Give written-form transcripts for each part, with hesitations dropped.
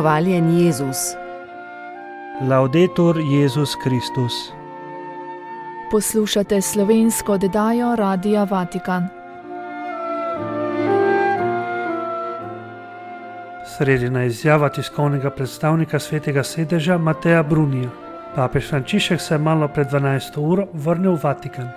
Hvaljen Jezus. Laudetur Jezus Kristus. Poslušate slovensko oddajo Radia Vatikan. Sredina izjava tiskovnega predstavnika Svetega sedeža Mateja Brunija. Papež Frančišek se je malo pred 12. uro vrnil v Vatikan.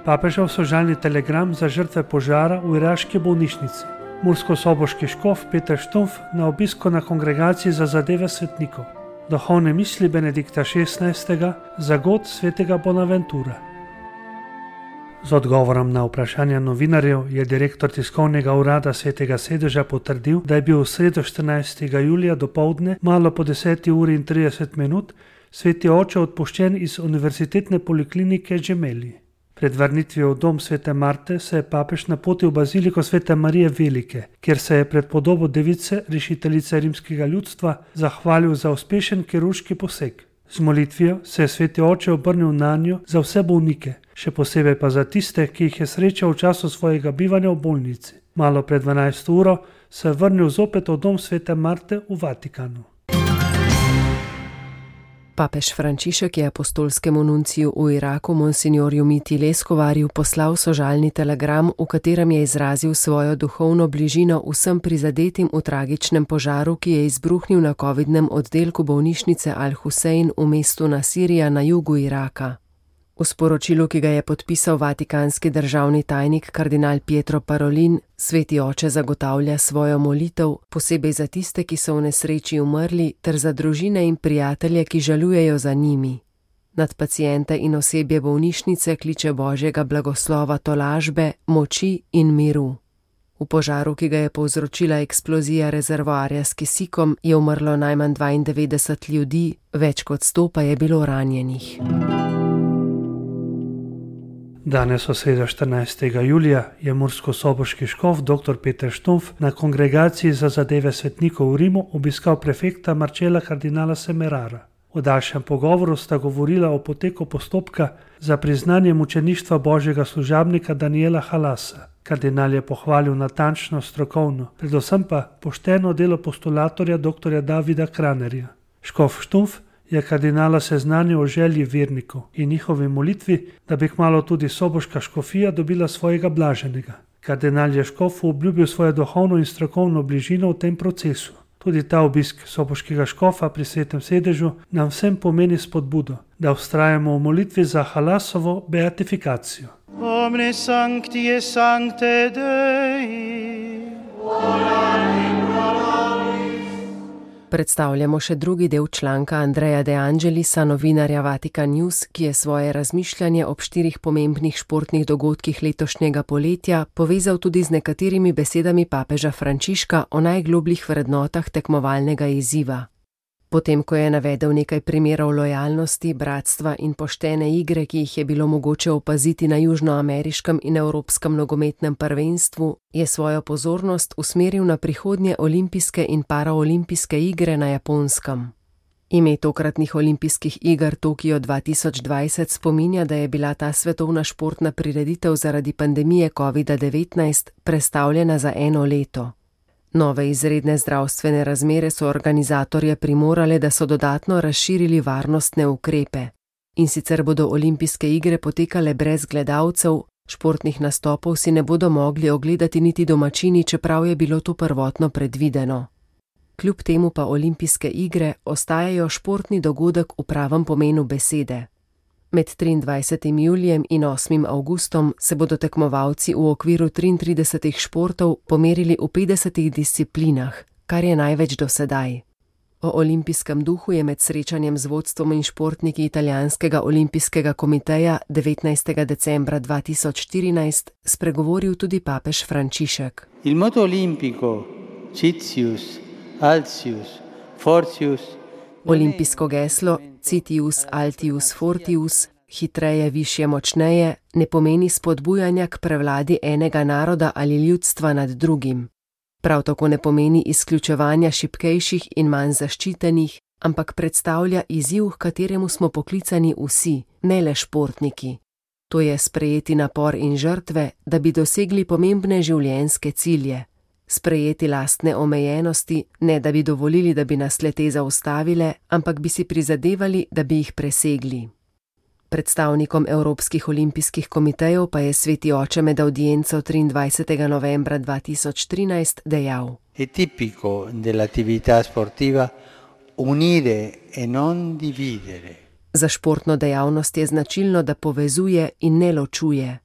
Papežev sožalni telegram za žrtve požara v iraški bolnišnici. Mursko-soboški škof Peter Štumf na obisku na kongregaciji za zadeve svetnikov. Duhovne misli Benedikta XVI. Za god svetega Bonaventura. Z odgovorom na vprašanja novinarjev je direktor tiskovnega urada Svetega sedeža potrdil, da je bil v sredo 14. julija dopoldne malo po 10:30 sveti oče odpuščen iz univerzitetne poliklinike Gemelli. Pred vrnitvijo v dom svete Marte se je papež napotil v baziliko svete Marije Velike, kjer se je pred podobo device, rešiteljice rimskega ljudstva, zahvalil za uspešen kirurški poseg. Z molitvijo se je sveti oče obrnil nanjo za vse bolnike, še posebej pa za tiste, ki jih je srečal v času svojega bivanja v bolnici. Malo pred 12. uro se je vrnil zopet v dom svete Marte v Vatikanu. Papež Frančišek je apostolskemu nunciju v Iraku monsignorju Miti Leskovarju poslal sožalni telegram, v katerem je izrazil svojo duhovno bližino vsem prizadetim v tragičnem požaru, ki je izbruhnil na covidnem oddelku bolnišnice Al-Husein v mestu Nasirija na jugu Iraka. V sporočilu, ki ga je podpisal vatikanski državni tajnik kardinal Pietro Parolin, sveti oče zagotavlja svojo molitev, posebej za tiste, ki so v nesreči umrli, ter za družine in prijatelje, ki žalujejo za njimi. Nad paciente in osebje bolnišnice kliče Božjega blagoslova tolažbe, moči in miru. V požaru, ki ga je povzročila eksplozija rezervoarja s kisikom, je umrlo najmanj 92 ljudi, več kot 100 pa je bilo ranjenih. Danes, v sredo 14. julija, je mursko-soboški škof dr. Peter Štumf na kongregaciji za zadeve svetnikov v Rimu obiskal prefekta Marcella kardinala Semerara. V daljšem pogovoru sta govorila o poteku postopka za priznanje mučeništva božjega služabnika Daniela Halasa. Kardinal je pohvalil natančno, strokovno, predvsem pa pošteno delo postulatorja dr. Davida Kranerja. Škof Štumf je kardinala seznanil o želji vernikov in njihovi molitvi, da bi kmalu tudi soboška škofija dobila svojega blaženega. Kardinal je škofu obljubil svojo duhovno in strokovno bližino v tem procesu. Tudi ta obisk soboškega škofa pri svetem sedežu nam vsem pomeni spodbudo, da vztrajamo v molitvi za Halasovo beatifikacijo. Omne sancti et sancte Dei. Predstavljamo še drugi del članka Andreja De Angelisa, novinarja Vatikan News, ki je svoje razmišljanje ob 4 pomembnih športnih dogodkih letošnjega poletja povezal tudi z nekaterimi besedami papeža Frančiška o najglobljih vrednotah tekmovalnega izziva. Potem, ko je navedel nekaj primerov lojalnosti, bratstva in poštene igre, ki jih je bilo mogoče opaziti na južnoameriškem in evropskem nogometnem prvenstvu, je svojo pozornost usmeril na prihodnje olimpijske in paraolimpijske igre na Japonskem. Ime tokratnih olimpijskih iger Tokio 2020 spominja, da je bila ta svetovna športna prireditev zaradi pandemije COVID-19 prestavljena za 1 leto. Nove izredne zdravstvene razmere so organizatorje primorale, da so dodatno razširili varnostne ukrepe. In sicer bodo olimpijske igre potekale brez gledalcev, športnih nastopov si ne bodo mogli ogledati niti domačini, čeprav je bilo to prvotno predvideno. Kljub temu pa olimpijske igre ostajajo športni dogodek v pravem pomenu besede. Med 23. julijem in 8. avgustom se bodo tekmovalci v okviru 33 športov pomerili v 50 disciplinah, kar je največ do sedaj. O olimpijskem duhu je med srečanjem z vodstvom in športniki italijanskega olimpijskega komiteja 19. decembra 2014 spregovoril tudi papež Frančišek. Il moto olimpico, Citius, Altius, Fortius. Olimpijsko geslo Citius, Altius, Fortius, hitreje, višje, močneje, ne pomeni spodbujanja k prevladi enega naroda ali ljudstva nad drugim. Prav tako ne pomeni izključevanja šibkejših in manj zaščitenih, ampak predstavlja izziv, k kateremu smo poklicani vsi, ne le športniki. To je sprejeti napor in žrtve, da bi dosegli pomembne življenjske cilje. sprejeti lastne omejenosti, ne da bi dovolili, da bi nas le-te zaustavile, ampak bi si prizadevali, da bi jih presegli. Predstavnikom Evropskih olimpijskih komitejev pa je Sveti oče med avdienco 23. novembra 2013 dejal: È tipico dell'attività sportiva unire e non dividere. Za športno dejavnost je značilno, da povezuje in ne ločuje,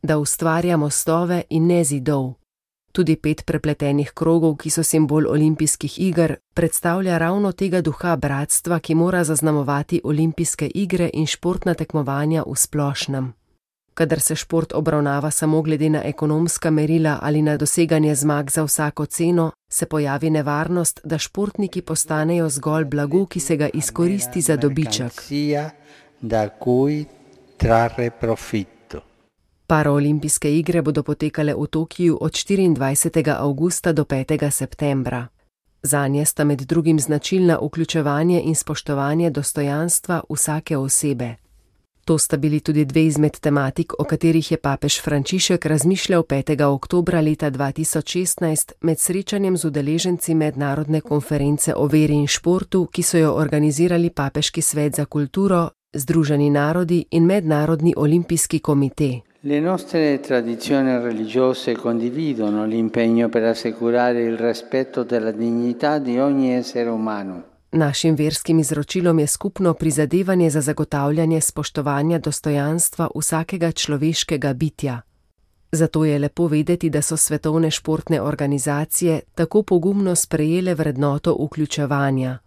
da ustvarja mostove in ne zidov. Tudi 5 prepletenih krogov, ki so simbol olimpijskih iger, predstavlja ravno tega duha bratstva, ki mora zaznamovati olimpijske igre in športna tekmovanja v splošnem. Kadar se šport obravnava samo glede na ekonomska merila ali na doseganje zmag za vsako ceno, se pojavi nevarnost, da športniki postanejo zgolj blago, ki se ga izkoristi za dobiček. Paraolimpijske igre bodo potekale v Tokiju od 24. avgusta do 5. septembra. Zanje sta med drugim značilna vključevanje in spoštovanje dostojanstva vsake osebe. To sta bili tudi 2 izmed tematik, o katerih je papež Frančišek razmišljal 5. oktobra leta 2016 med srečanjem z udeleženci mednarodne konference o veri in športu, ki so jo organizirali Papeški svet za kulturo, Združeni narodi in Mednarodni olimpijski komite. Le nostre tradizioni religiose condividono l'impegno per assicurare il rispetto della dignità di ogni essere umano. Našim verskim izročilom je skupno prizadevanje za zagotavljanje spoštovanja dostojanstva vsakega človeškega bitja. Zato je lepo vedeti, da so svetovne športne organizacije tako pogumno sprejele vrednoto vključevanja.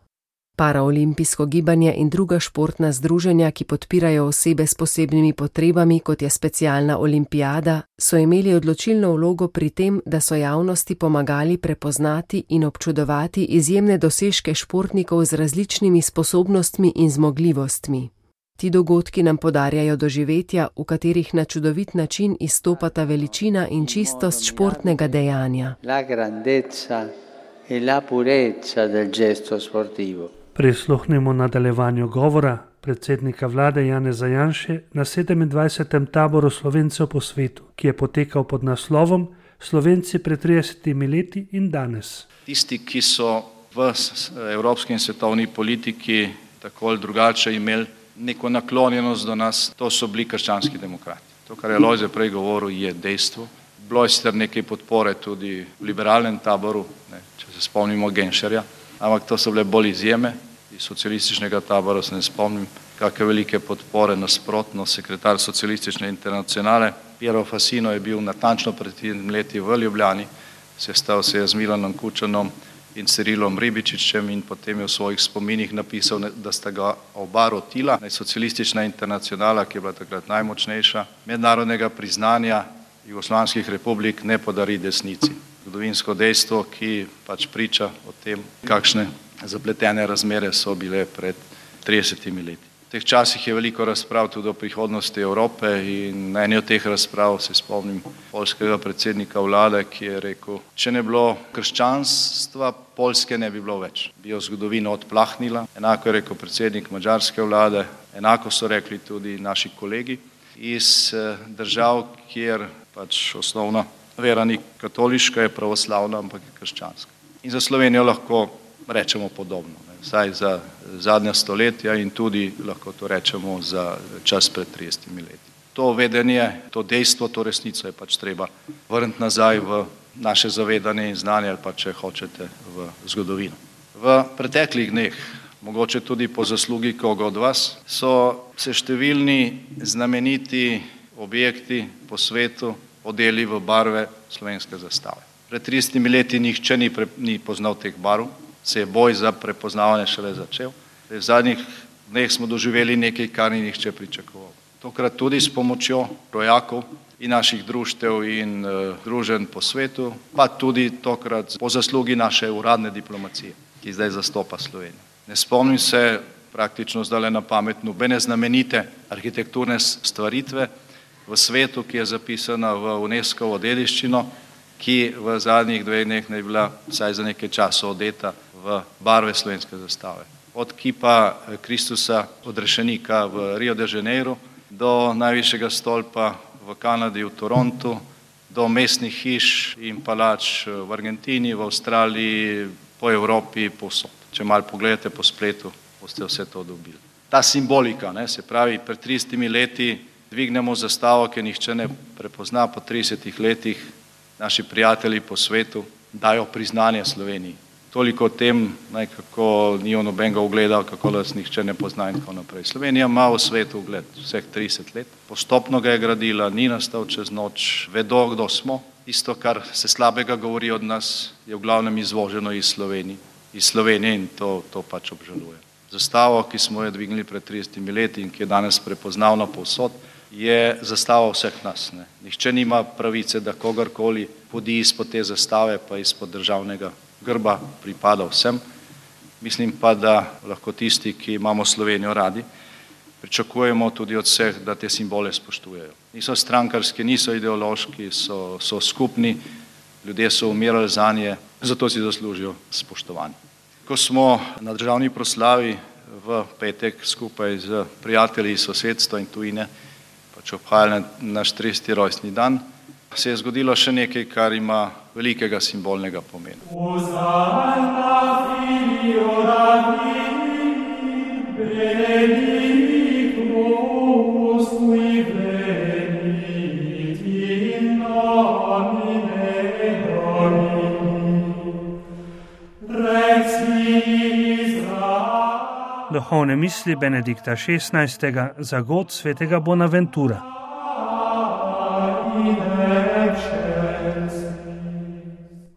Paraolimpijsko gibanje in druga športna združenja, ki podpirajo osebe s posebnimi potrebami, kot je specialna olimpijada, so imeli odločilno vlogo pri tem, da so javnosti pomagali prepoznati in občudovati izjemne dosežke športnikov z različnimi sposobnostmi in zmogljivostmi. Ti dogodki nam podarjajo doživetja, v katerih na čudovit način izstopata veličina in čistost športnega dejanja. La grandezza e la purezza del gesto sportivo. Prisluhnimo nadaljevanju govora predsednika vlade Janeza Janše na 27. taboru Slovencev po svetu, ki je potekal pod naslovom Slovenci pred 30 leti in danes. Tisti, ki so v evropski in svetovni politiki tako ali drugače imeli neko naklonjenost do nas, to so bili krščanski demokrati. To, kar je Lojze prej govoril, je dejstvo. Bilo je sicer nekaj podpore tudi v liberalnem taboru, če se spomnimo Genšerja, ampak to so bile bolj izjeme. Iz socialističnega tabora se ne spomnim, kakve velike podpore, nasprotno sekretar socialistične internacionale Piero Fassino je bil natančno pred 3 leti v Ljubljani, sestal se je z Milanom Kučanom in Cirilom Ribičičem in potem je v svojih spominih napisal, da sta ga oba rotila. Socialistična internacionala, ki je bila takrat najmočnejša, mednarodnega priznanja jugoslovanskih republik ne podari desnici. Zgodovinsko dejstvo, ki pač priča o tem, kakšne zapletene razmere so bile pred 30 leti. V teh časih je veliko razprav tudi o prihodnosti Evrope in na eni od teh razprav se spomnim poljskega predsednika vlade, ki je rekel, če ne bilo krščanstva, Poljske ne bi bilo več. Bi jo zgodovina odplahnila. Enako je rekel predsednik madžarske vlade, enako so rekli tudi naši kolegi iz držav, kjer pač osnovna vera ni katoliška, je pravoslavna, ampak je krščanska. In za Slovenijo lahko rečemo podobno, vsaj za zadnja stoletja in tudi lahko to rečemo za čas pred 30 leti. To vedenje, to dejstvo, to resnico je pač treba vrniti nazaj v naše zavedanje in znanje ali pa, če hočete, v zgodovino. V preteklih dneh, mogoče tudi po zaslugi koga od vas, so se številni znameniti objekti po svetu odeli v barve slovenske zastave. Pred 30 leti nihče ni poznal teh barv, se je boj za prepoznavanje šele začel. V zadnjih dneh smo doživeli nekaj, kar ni nihče pričakoval. Tokrat tudi s pomočjo rojakov in naših društev in druženj po svetu, pa tudi tokrat po zaslugi naše uradne diplomacije, ki zdaj zastopa Slovenijo. Ne spomnim se praktično zdaj na pamet nobene znamenite arhitekturne stvaritve v svetu, ki je zapisana v UNESCO-ovo dediščino, ki v zadnjih 2 dneh ne bila vsaj za nekaj časa odeta v barve slovenske zastave. Od kipa Kristusa odrešenika v Rio de Janeiro do najvišjega stolpa v Kanadi, v Torontu, do mestnih hiš in palač v Argentini, v Avstraliji, po Evropi, povsod. Če malo pogledate po spletu, boste vse to dobili. Ta simbolika, se pravi, pred 30 leti dvignemo zastavo, ki nihče ne prepozna, po 30 letih naši prijatelji po svetu dajo priznanje Sloveniji. Toliko o tem, kako ni nobenega ugleda, kako nas nihče ne pozna in tako naprej. Slovenija ima v svetu ugled vseh 30 let. Postopno ga je gradila, ni nastal čez noč, vedo, kdo smo. Isto, kar se slabega govori od nas, je v glavnem izvoženo iz Slovenije in to pač obžalujem. Zastavo, ki smo jo dvignili pred 30 leti in ki je danes prepoznavna povsod, je zastava vseh nas. Nihče nima pravice, da kogarkoli podi izpod te zastave, pa izpod državnega grba pripada vsem. Mislim pa, da lahko tisti, ki imamo Slovenijo radi, pričakujemo tudi od vseh, da te simbole spoštujejo. Niso strankarski, niso ideološki, so skupni, ljudje so umirali zanje, zato si zaslužijo spoštovanje. Ko smo na državni proslavi v petek skupaj z prijatelji iz sosedstva in tujine pač obhajali naš 30. rojstni dan, se je zgodilo še nekaj, kar ima velikega simbolnega pomena. Duhovne misli Benedikta XVI. Za god svetega Bonaventura.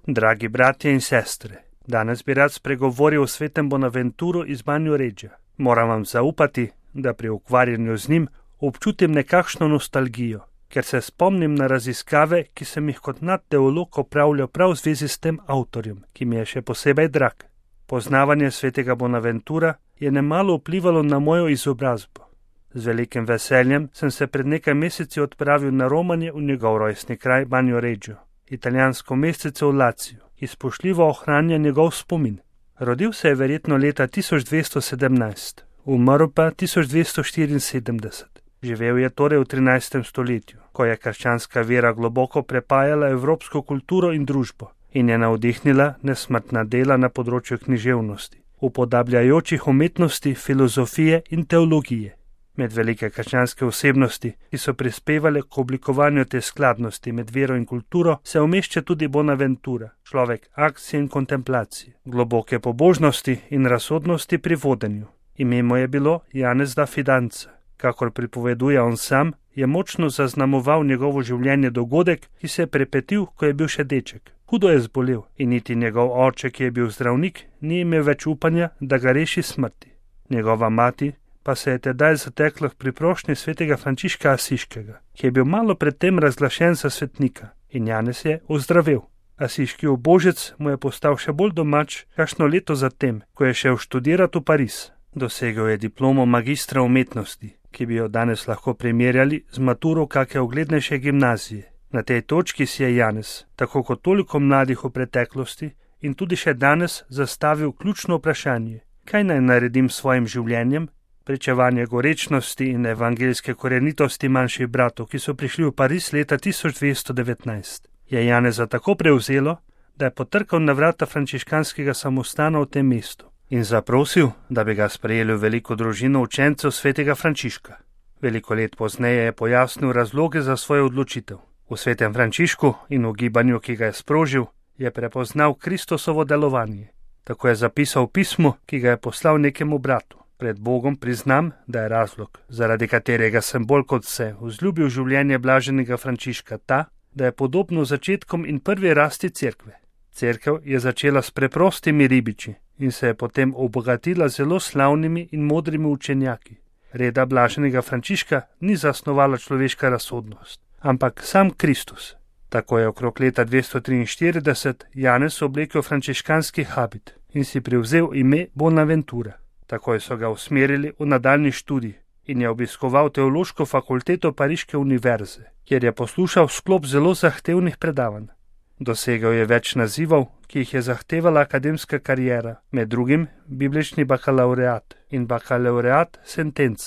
Dragi bratje in sestre, danes bi rad spregovoril o svetem Bonaventuru iz Banjoreggia. Moram vam zaupati, da pri ukvarjanju z njim občutim nekakšno nostalgijo, ker se spomnim na raziskave, ki sem jih kot mlad teolog opravljal prav v zvezi s tem avtorjem, ki mi je še posebej drag. Poznavanje svetega Bonaventura je nemalo vplivalo na mojo izobrazbo. Z velikim veseljem sem se pred nekaj meseci odpravil na romanje v njegov rojstni kraj Banjoreggio, italijansko mestece v Laciju, ki spoštljivo ohranja njegov spomin. Rodil se je verjetno leta 1217, umrl pa 1274. Živel je torej v 13. stoletju, ko je krščanska vera globoko prepajala evropsko kulturo in družbo in je navdihnila nesmrtna dela na področju književnosti, upodabljajočih umetnosti, filozofije in teologije. Med velike krščanske osebnosti, ki so prispevale k oblikovanju te skladnosti med vero in kulturo, se umešča tudi Bonaventura, človek akcije in kontemplacije, globoke pobožnosti in razsodnosti pri vodenju. Ime mu je bilo Janez da Fidanza. Kakor pripoveduje on sam, je močno zaznamoval njegovo življenje dogodek, ki se je prepetil, ko je bil še deček. Hudo je zbolel in niti njegov oče, ki je bil zdravnik, ni imel več upanja, da ga reši smrti. Njegova mati pa se je tedaj zatekla k priprošnji svetega Frančiška Asiškega, ki je bil malo predtem razglašen za svetnika, in Janez je ozdravel. Asiški ubožec mu je postal še bolj domač kakšno leto zatem, ko je šel študirati v Pariz. Dosegel je diplomo magistra umetnosti, ki bi jo danes lahko primerjali z maturo kake uglednejše gimnazije. Na tej točki si je Janez, tako kot toliko mladih v preteklosti in tudi še danes, zastavil ključno vprašanje: kaj naj naredim s svojim življenjem? Pričevanje gorečnosti in evangeljske korenitosti manjših bratov, ki so prišli v Pariz leta 1219, je Janeza tako prevzelo, da je potrkal na vrata frančiškanskega samostana v tem mestu in zaprosil, da bi ga sprejeli v veliko družino učencev svetega Frančiška. Veliko let pozneje je pojasnil razloge za svojo odločitev. V svetem Frančišku in v gibanju, ki ga je sprožil, je prepoznal Kristosovo delovanje. Tako je zapisal v pismu, ki ga je poslal nekemu bratu. Pred Bogom priznam, da je razlog, zaradi katerega sem bolj kot vse vzljubil življenje blaženega Frančiška, ta, da je podobno začetkom in prvi rasti cerkve. Cerkev je začela s preprostimi ribiči in se je potem obogatila zelo slavnimi in modrimi učenjaki. Reda blaženega Frančiška ni zasnovala človeška razsodnost, ampak sam Kristus. Tako je okrog leta 243 Janez oblekel frančiškanski habit in si privzel ime Bonaventura. Takoj so ga usmerili v nadaljnji študij in je obiskoval teološko fakulteto Pariške univerze, kjer je poslušal sklop zelo zahtevnih predavanj. Dosegel je več nazivov, ki jih je zahtevala akademska kariera, med drugim biblični bakalaureat in bakalaureat sentenc.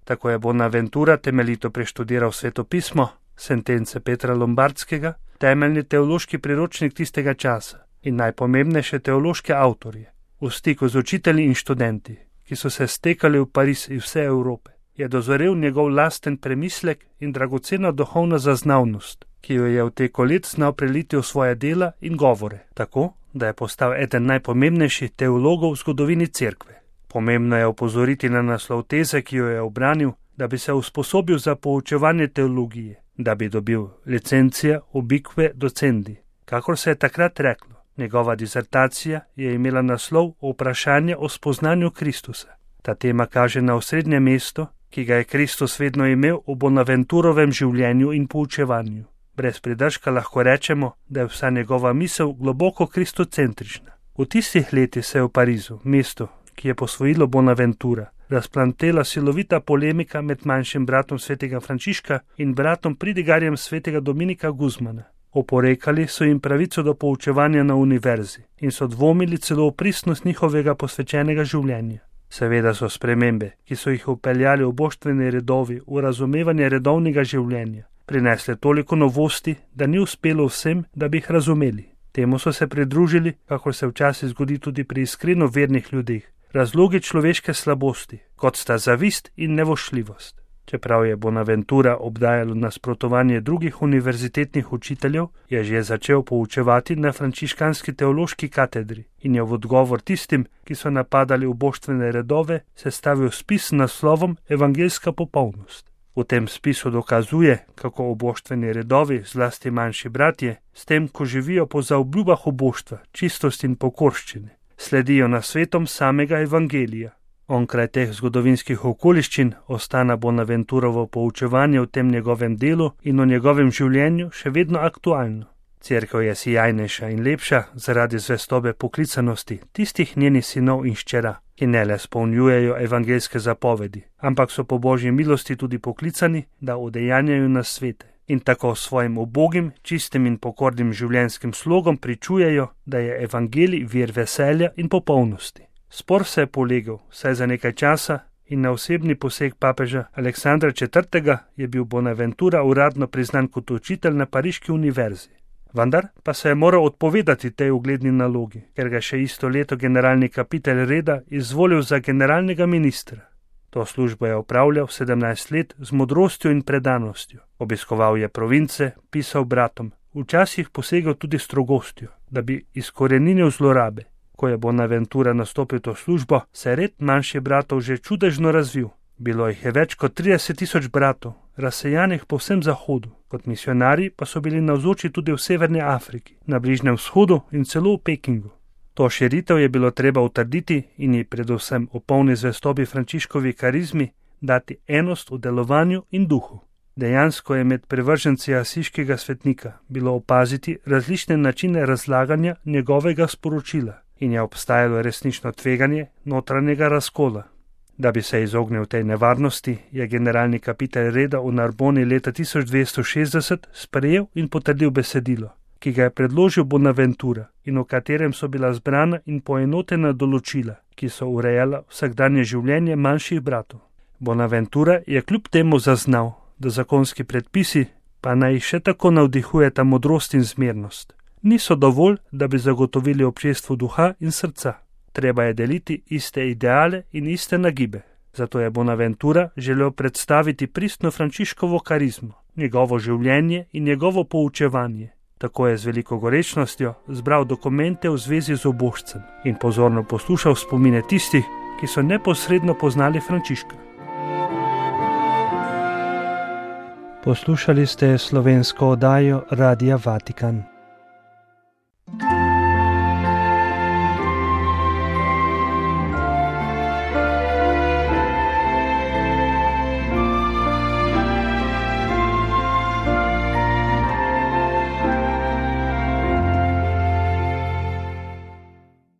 Tako je Bonaventura temeljito preštudiral svetopismo, sentence Petra Lombardskega, temeljni teološki priročnik tistega časa in najpomembnejše teološke avtorje. V stiku z učitelji in študenti, ki so se stekali v Pariz iz vse Evrope, je dozorel njegov lasten premislek in dragocena duhovna zaznavnost, ki jo je v teku let znal preliti v svoje dela in govore, tako, da je postal eden najpomembnejših teologov v zgodovini cerkve. Pomembno je opozoriti na naslov teze, ki jo je obranil, da bi se usposobil za poučevanje teologije, da bi dobil licencija ubique docendi, kakor se je takrat reklo. Njegova disertacija je imela naslov Vprašanje o spoznanju Kristusa. Ta tema kaže na osrednje mesto, ki ga je Kristus vedno imel v Bonaventurovem življenju in poučevanju. Brez pridržka lahko rečemo, da je vsa njegova misel globoko kristocentrična. V tistih letih se je v Parizu, mestu, ki je posvojilo Bonaventura, razplantela silovita polemika med manjšim bratom svetega Frančiška in bratom pridigarjem svetega Dominika Guzmana. Oporekali so jim pravico do poučevanja na univerzi in so dvomili celo v pristnost njihovega posvečenega življenja. Seveda so spremembe, ki so jih vpeljali oboštveni redovi v razumevanje redovnega življenja, prinesle toliko novosti, da ni uspelo vsem, da bi jih razumeli. Temu so se pridružili, kakor se včasih zgodi tudi pri iskreno vernih ljudeh, razlogi človeške slabosti, kot sta zavist in nevošljivost. Čeprav je Bonaventura obdajalo nasprotovanje drugih univerzitetnih učiteljev, je že začel poučevati na frančiškanski teološki katedri in je v odgovor tistim, ki so napadali uboštvene redove, sestavil spis s naslovom Evangeljska popolnost. V tem spisu dokazuje, kako uboštveni redovi, zlasti manjši bratje, s tem, ko živijo po zaobljubah uboštva, čistosti in pokorščine, sledijo nasvetom samega evangelija. Onkraj teh zgodovinskih okoliščin ostana Bonaventurovo poučevanje v tem njegovem delu in o njegovem življenju še vedno aktualno. Cerkev je sijajnejša in lepša zaradi zvestobe poklicanosti tistih njenih sinov in hčera, ki ne le spolnjujejo evangeljske zapovedi, ampak so po Božji milosti tudi poklicani, da udejanjajo nasvete in tako svojim ubogim, čistim in pokornim življenjskim slogom pričujejo, da je evangelij vir veselja in popolnosti. Spor se je polegel, saj za nekaj časa in na osebni poseg papeža Aleksandra IV. Je bil Bonaventura uradno priznan kot učitelj na Pariški univerzi. Vendar pa se je moral odpovedati tej ugledni nalogi, ker ga še isto leto generalni kapitelj reda izvolil za generalnega ministra. To službo je opravljal 17 let z modrostjo in predanostjo. Obiskoval je province, pisal bratom, včasih posegel tudi strogostjo, da bi izkoreninil zlorabe. Ko je Bonaventura nastopil to službo, se je red manjših bratov že čudežno razvil. Bilo jih je več kot 30.000 bratov, razsejanih po vsem zahodu. Kot misionarji pa so bili navzoči tudi v Severni Afriki, na Bližnjem vzhodu in celo v Pekingu. To širitev je bilo treba utrditi in ji predvsem v polni zvestobi Frančiškovi karizmi dati enost v delovanju in duhu. Dejansko je med privrženci asiškega svetnika bilo opaziti različne načine razlaganja njegovega sporočila in je obstajalo resnično tveganje notranjega razkola. Da bi se izognil tej nevarnosti, je generalni kapitelj reda v Narboni leta 1260 sprejel in potrdil besedilo, ki ga je predložil Bonaventura in v katerem so bila zbrana in poenotena določila, ki so urejala vsakdanje življenje manjših bratov. Bonaventura je kljub temu zaznal, da zakonski predpisi, pa naj še tako navdihujeta modrost in zmernost, niso dovolj, da bi zagotovili občestvu duha in srca. Treba je deliti iste ideale in iste nagibe. Zato je Bonaventura želel predstaviti pristno Frančiškovo karizmo, njegovo življenje in njegovo poučevanje. Tako je z veliko gorečnostjo zbral dokumente v zvezi z obožcem in pozorno poslušal spomine tistih, ki so neposredno poznali Frančiška. Poslušali ste slovensko oddajo Radia Vatikan.